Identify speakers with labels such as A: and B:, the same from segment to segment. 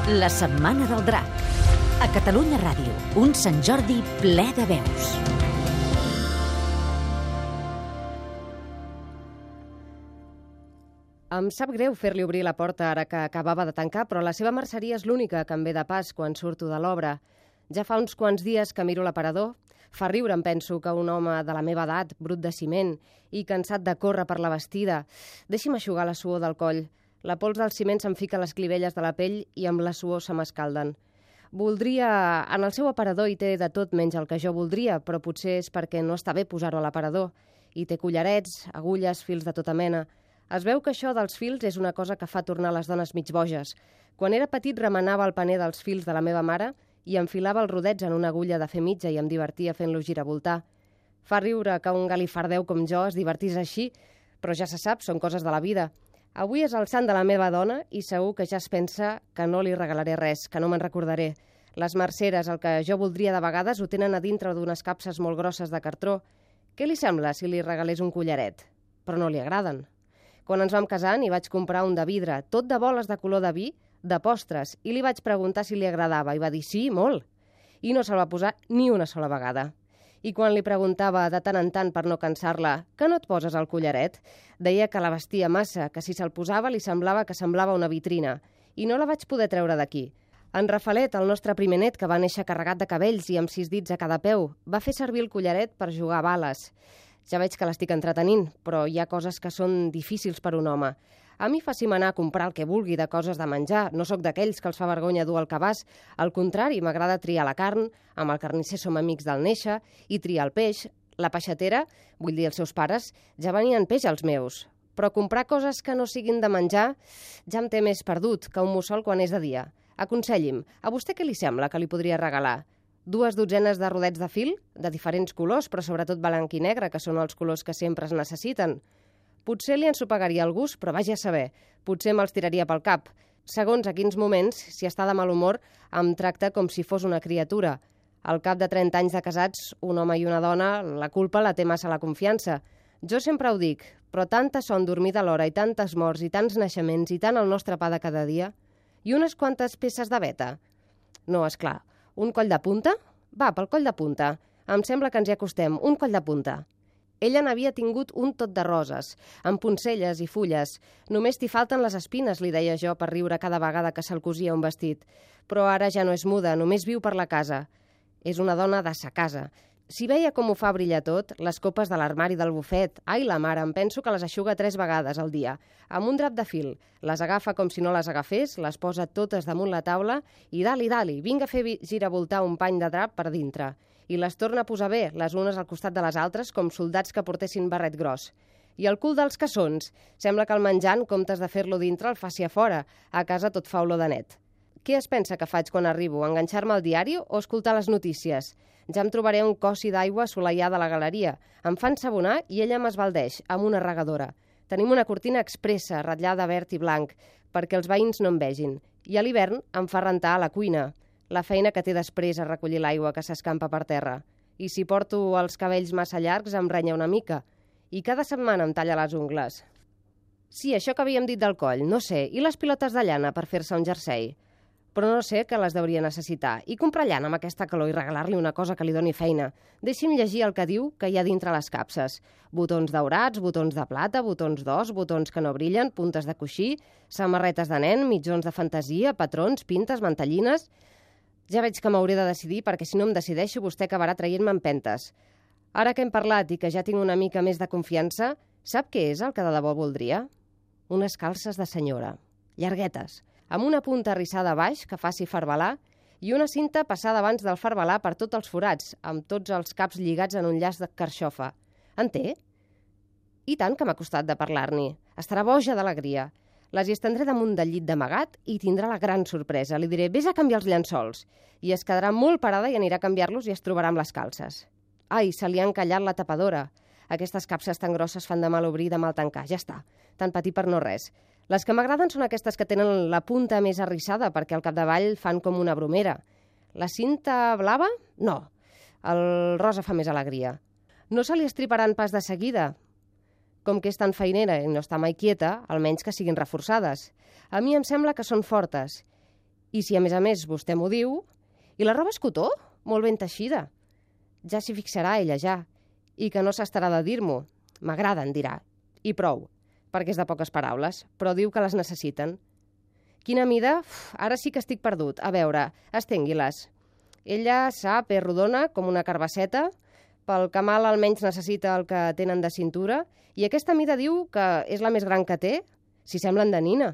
A: La Setmana del Drac. A Catalunya Ràdio, un Sant Jordi ple de veus.
B: Em sap greu fer-li obrir la porta ara que acabava de tancar, però la seva merceria és l'única que em ve de pas quan surto de l'obra. Ja fa uns quants dies que miro l'aparador. Fa riure, em penso, que un home de la meva edat, brut de ciment i cansat de córrer per la bastida, deixi'm eixugar la suor del coll. La pols del ciment se'm fica a les clivelles de la pell i amb la suor se m'escalden. Voldria... En el seu aparador hi té de tot menys el que jo voldria, però potser és perquè no està bé posar-ho a l'aparador. Hi té collarets, agulles, fils de tota mena. Es veu que això dels fils és una cosa que fa tornar les dones mig boges. Quan era petit remenava el paner dels fils de la meva mare i enfilava els rodets en una agulla de fer mitja i em divertia fent-lo giravoltar. Fa riure que un galifardeu com jo es divertís així, però ja se sap, són coses de la vida. Avui és el sant de la meva dona i segur que ja es pensa que no li regalaré res, que no me'n recordaré. Les merceres, el que jo voldria de vegades, ho tenen a dintre d'unes capses molt grosses de cartró. Què li sembla si li regalés un collaret? Però no li agraden. Quan ens vam casar n'hi vaig comprar un de vidre, tot de boles de color de vi, de postres, i li vaig preguntar si li agradava, i va dir sí, molt. I no se'l va posar ni una sola vegada. I quan li preguntava de tant en tant per no cansar-la que no et poses el collaret, deia que la vestia massa, que si se'l posava li semblava que semblava una vitrina, i no la vaig poder treure d'aquí. En Rafalet, el nostre primer net, que va néixer carregat de cabells i amb 6 dits a cada peu, va fer servir el collaret per jugar a bales. Ja veig que l'estic entretenint, però hi ha coses que són difícils per un home. A mi faci'm anar a comprar el que vulgui de coses de menjar. No sóc d'aquells que els fa vergonya dur al cabàs. Al contrari, m'agrada triar la carn, amb el carnisser som amics del néixer, i triar el peix. La peixatera, vull dir els seus pares, ja venien peix als meus. Però comprar coses que no siguin de menjar ja em té més perdut que un mussol quan és de dia. Aconselli'm, a vostè què li sembla que li podria regalar? 2 dotzenes de rodets de fil, de diferents colors, però sobretot blanc i negre, que són els colors que sempre es necessiten. Potser li ensopagaria el gust, però vagi a saber. Potser me'ls tiraria pel cap. Segons a quins moments, si està de mal humor, em tracta com si fos una criatura. Al cap de 30 anys de casats, un home i una dona, la culpa la té massa la confiança. Jo sempre ho dic, però tanta son dormida a l'hora i tantes morts i tants naixements i tant el nostre pa de cada dia. I unes quantes peces de veta. No, és clar. Un coll de punta? Va, pel coll de punta. Em sembla que ens hi acostem. Un coll de punta. Ella n'havia tingut un tot de roses, amb poncelles i fulles. Només t'hi falten les espines, li deia jo per riure cada vegada que se'l cosia un vestit. Però ara ja no és muda, només viu per la casa. És una dona de sa casa. Si veia com ho fa brillar tot, les copes de l'armari del bufet, ai la mare, em penso que les eixuga 3 vegades al dia, amb un drap de fil. Les agafa com si no les agafés, les posa totes damunt la taula i dali, vinga a fer giravoltar un pany de drap per dintre. I les torna a posar bé, les unes al costat de les altres, com soldats que portessin barret gros. I el cul dels cassons. Sembla que el menjar, en comptes de fer-lo dintre, el faci a fora. A casa tot fa olor de net. Què es pensa que faig quan arribo? Enganxar-me al diari o escoltar les notícies? Ja em trobaré un cossi d'aigua assolellada a la galeria. Em fan sabonar i ella m'esbaldeix, amb una regadora. Tenim una cortina expressa, ratllada verd i blanc, perquè els veïns no em vegin. I a l'hivern em fa rentar a la cuina. La feina que té després a recollir l'aigua que s'escampa per terra. I si porto els cabells massa llargs em renya una mica. I cada setmana em talla les ungles. Sí, això que havíem dit del coll, no sé. I les pilotes de llana per fer-se un jersei? Però no sé que les hauria necessitar. I comprar llana amb aquesta calor i regalar-li una cosa que li doni feina. Deixi'm llegir el que diu que hi ha dintre les capses. Botons daurats, botons de plata, botons d'os, botons que no brillen, puntes de coixí, samarretes de nen, mitjons de fantasia, patrons, pintes, mantellines... Ja veig que m'hauré de decidir perquè si no em decideixo vostè acabarà traient-me empentes. Ara que hem parlat i que ja tinc una mica més de confiança, sap què és el que de debò voldria? Unes calces de senyora, llarguetes, amb una punta arrissada a baix que faci farbalar i una cinta passada abans del farbalar per tots els forats, amb tots els caps lligats en un llaç de carxofa. En té? I tant que m'ha costat de parlar-n'hi. Estarà boja d'alegria. Les hi estendré damunt del llit d'amagat i tindrà la gran sorpresa. Li diré, vés a canviar els llençols. I es quedarà molt parada i anirà a canviar-los i es trobarà amb les calces. Ai, se li ha encallat la tapadora. Aquestes capses tan grosses fan de mal obrir i de mal tancar. Ja està, tan petit per no res. Les que m'agraden són aquestes que tenen la punta més arrissada perquè al capdavall fan com una bromera. La cinta blava? No. El rosa fa més alegria. No se li estriparan pas de seguida. Com que és tan feinera i no està mai quieta, almenys que siguin reforçades. A mi em sembla que són fortes. I si a més vostè m'ho diu... I la roba és cotó? Molt ben teixida. Ja s'hi fixarà ella, ja. I que no s'estarà de dir-m'ho. M'agrada, en dirà. I prou, perquè és de poques paraules, però diu que les necessiten. Quina mida? Ara sí que estic perdut. A veure, estengui-les. Ella sap, és rodona, com una carbasseta. Pel Camal almenys necessita el que tenen de cintura. I aquesta mida diu que és la més gran que té. Si semblen de nina.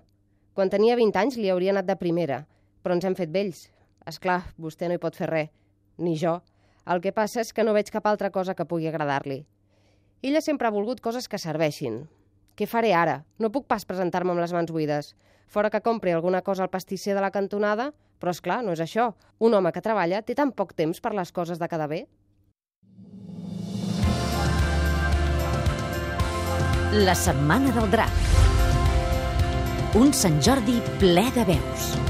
B: Quan tenia 20 anys li hauria anat de primera, però ens hem fet vells. Esclar, vostè no hi pot fer res. Ni jo. El que passa és que no veig cap altra cosa que pugui agradar-li. Ella sempre ha volgut coses que serveixin. Què faré ara? No puc pas presentar-me amb les mans buides. Fora que compri alguna cosa al pastisser de la cantonada, però esclar, no és això. Un home que treballa té tan poc temps per les coses de quedar bé.
A: La setmana del drac. Un Sant Jordi ple de veus.